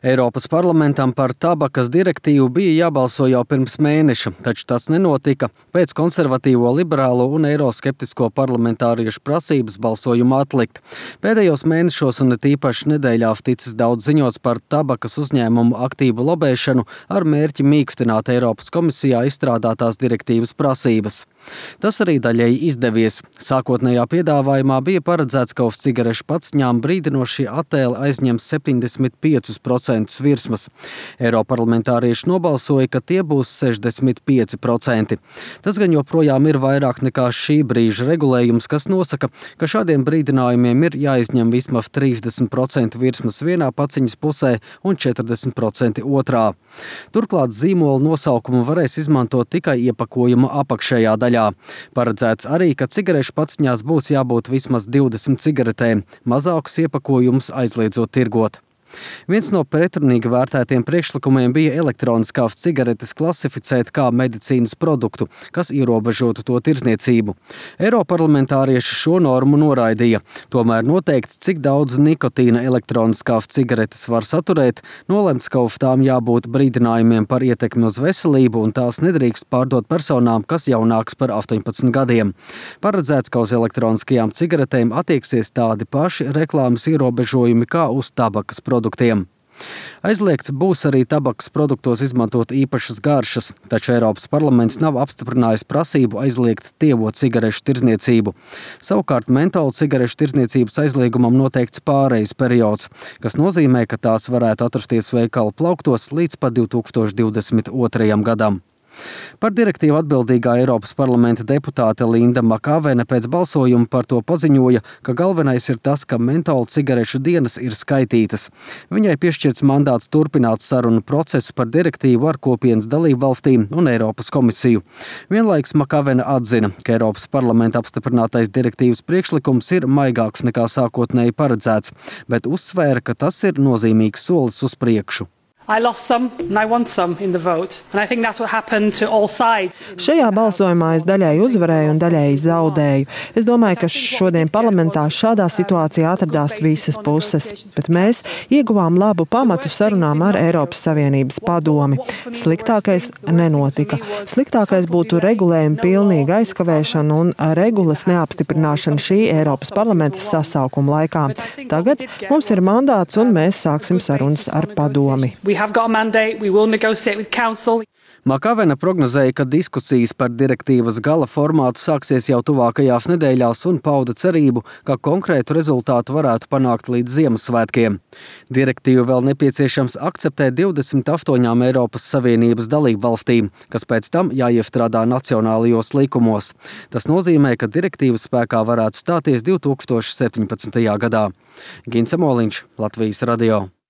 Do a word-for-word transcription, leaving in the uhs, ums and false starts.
Eiropas parlamentam par tabakas direktīvu bija jābalso jau pirms mēneša, taču tas nenotika pēc konservatīvo, liberālo un eiroskeptisko parlamentāriešu prasības balsojumu atlikt. Pēdējos mēnešos un it īpaši nedēļās ticis daudz ziņots par tabakas uzņēmumu aktīvu lobēšanu ar mērķi mīkstināt Eiropas komisijā izstrādātās direktīvas prasības. Tas arī daļēji izdevies. Sākotnējā piedāvājumā bija paredzēts, ka uz cigarešu paciņām brīdinošie attēli aizņems septiņdesmit pieci procenti virsmas. Eiroparlamentārieši nobalsoja, ka tie būs sešdesmit pieci procenti. Tas gan joprojām ir vairāk nekā šī brīža regulējums, kas nosaka, ka šādiem brīdinājumiem ir jāizņem vismaz trīsdesmit procenti virsmas vienā paciņas pusē un četrdesmit procenti otrā. Turklāt zīmola nosaukumu varēs izmantot tikai iepakojuma apakšējā daļā. Paredzēts arī, ka cigarešu paciņās būs jābūt vismaz divdesmit cigaretēm, mazākus iepakojumus aizliedzot tirgot. Viens no pretrunīgi vērtētiem priekšlikumiem bija elektroniskās cigaretes klasificēt kā medicīnas produktu, kas ierobežotu to tirdzniecību. Eiroparlamentārieši šo normu noraidīja. Tomēr noteikts, cik daudz nikotīna elektroniskās cigaretes var saturēt, nolemts, ka uz tām jābūt brīdinājumiem par ietekmi uz veselību un tās nedrīkst pārdot personām, kas jaunāks par astoņpadsmit gadiem. Paredzēts, ka uz elektroniskajām cigaretēm attieksies tādi paši reklāmas ierobežojumi kā uz tabakas produktiem. Aizliegts būs arī tabakas produktos izmantot īpašas garšas, taču Eiropas parlaments nav apstiprinājis prasību aizliegt tievo cigarešu tirdzniecību. Savukārt mentola cigarešu tirdzniecības aizliegumam noteikts pārejas periods, kas nozīmē, ka tās varētu atrasties veikalu plauktos līdz pat divi tūkstoši divdesmit otrajam gadam. Par direktīvu atbildīgā Eiropas parlamenta deputāte Linda Makavene pēc balsojuma par to paziņoja, ka galvenais ir tas, ka mentola cigarešu dienas ir skaitītas. Viņai piešķirts mandāts turpināt sarunu procesu par direktīvu ar kopienas dalību valstīm un Eiropas komisiju. Vienlaikus Makavene atzina, ka Eiropas parlamenta apstiprinātais direktīvas priekšlikums ir maigāks nekā sākotnēji paredzēts, bet uzsvēra, ka tas ir nozīmīgs solis uz priekšu. Šajā balsojumā es daļēji uzvarēju un daļēji zaudēju. Es domāju, ka šodien parlamentā šādā situācijā atradās visas puses, bet mēs ieguvām labu pamatu sarunām ar Eiropas Savienības padomi. Sliktākais nenotika. Sliktākais būtu regulējuma pilnīga aizkavēšana un regulas neapstiprināšana šī Eiropas parlamenta sasaukuma laikā. Tagad mums ir mandāts un mēs sāksim sarunas ar padomi. Makavene prognozēja, ka diskusijas par direktīvas gala formātu sāksies jau tuvākajās nedēļās un pauda cerību, ka konkrētu rezultātu varētu panākt līdz Ziemassvētkiem. Direktīvu vēl nepieciešams akceptēt divdesmit astoņām Eiropas Savienības dalību valstīm, kas pēc tam jāiestrādā nacionālajos likumos. Tas nozīmē, ka direktīvas spēkā varētu stāties divi tūkstoši septiņpadsmitajā gadā. Gins Amoliņš, Latvijas radio.